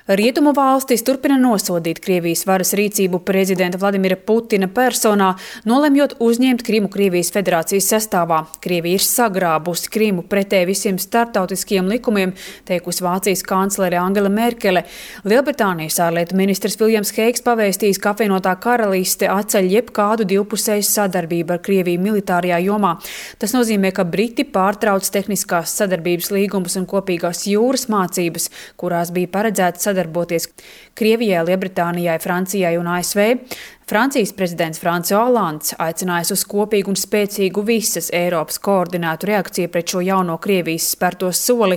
Rietumu valstis turpina nosodīt Krievijas varas rīcību prezidenta Vladimira Putina personā, nolemjot uzņemt Krimu Krievijas federācijas sastāvā. Krievija ir sagrābusi Krimu pretēji visiem starptautiskiem likumiem, teikusi Vācijas kanclere Angela Merkele. Lielbritānijas ārlietu ministrs Viljams Heigs pavēstījis, ka apvienotā karaliste atceļ jebkādu divpusēju sadarbību ar Krieviju militārajā jomā. Tas nozīmē, ka Briti pārtrauc tehniskās sadarbības līgumus un kopīgās jūras mācības, kurās bija paredzēts sadarboties Krievijai, Lielbritānijai, Francijai un ASV. Francijas prezidents François Hollands aicinājis uz kopīgu un spēcīgu visas Eiropas koordinētu reakciju pret šo jauno Krievijas spērto soli.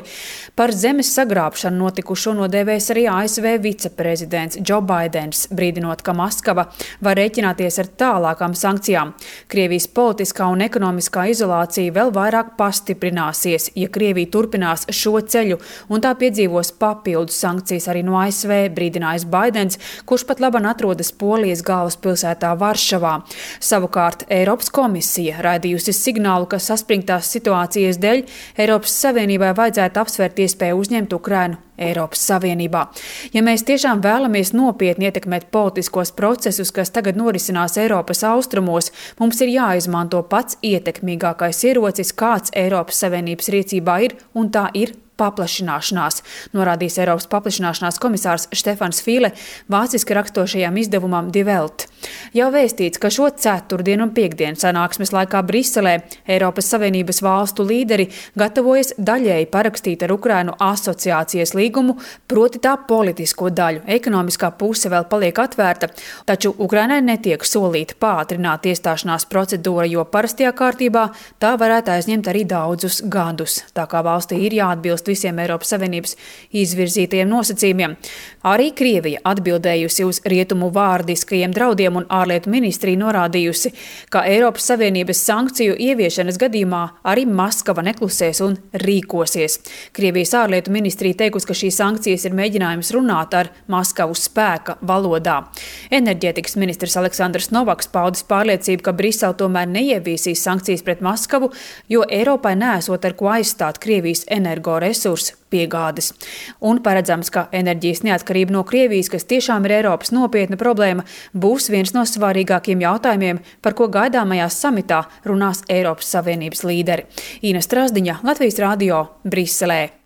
Par zemes sagrābšanu notikušo nodēvēs arī ASV viceprezidents Joe Bidens, brīdinot, ka Maskava var rēķināties ar tālākām sankcijām. Krievijas politiskā un ekonomiskā izolācija vēl vairāk pastiprināsies, ja Krievija turpinās šo ceļu, un tā piedzīvos papildus sankcijas arī no ASV, brīdinājis Bidens, kurš pat laban atrodas Polijas galvaspilsētā Varšavā. Savukārt Eiropas komisija raidījusi signālu, ka saspringtās situācijas dēļ Eiropas Savienībai vajadzētu apsvērt iespēju uzņemt Ukrainu Eiropas Savienībā. Ja mēs tiešām vēlamies nopietni ietekmēt politiskos procesus, kas tagad norisinās Eiropas austrumos, mums ir jāizmanto pats ietekmīgākais ierocis, kāds Eiropas Savienības rīcībā ir, un tā ir paplašināšanās, norādījis Eiropas paplašināšanās komisārs Štefans Fīle vāciski rakstošajam izdevumam Die Welt. Jau vēstīts, ka šo ceturtdienu un piekdienu sanāksmes laikā Briselē Eiropas Savienības valstu līderi gatavojas daļēji parakstīt ar Ukrainu asociācijas līgumu, proti tā politisko daļu. Ekonomiskā puse vēl paliek atvērta, taču Ukrainai netiek solīta pātrināt iestāšanās procedūra, jo parastajā kārtībā tā varētu aizņemt arī daudzus gadus. Tā kā valstī ir jāatbilst visiem Eiropas Savienības izvirzītajiem nosacījumiem. Arī Krievija atbildējusi uz rietumu vārdiskajiem draudiem, un ārlietu ministrija norādījusi, ka Eiropas Savienības sankciju ieviešanas gadījumā arī Maskava neklusēs un rīkosies. Krievijas ārlietu ministrija teikusi, ka šīs sankcijas ir mēģinājums runāt ar Maskavu spēka valodā. Enerģētikas ministrs Aleksandrs Novaks paudis pārliecību, ka Brisele tomēr neieviesīs sankcijas pret Maskavu, jo Eiropai neesot ar ko aizstāt Krievijas energoresursu piegādes. Un paredzams, ka enerģijas neatkarība no Krievijas, kas tiešām ir Eiropas nopietna problēma, būs viens no svarīgākiem jautājumiem, par ko gaidāmajā samitā runās Eiropas Savienības līderi. Ina Strasdiņa, Latvijas radio, Briselē.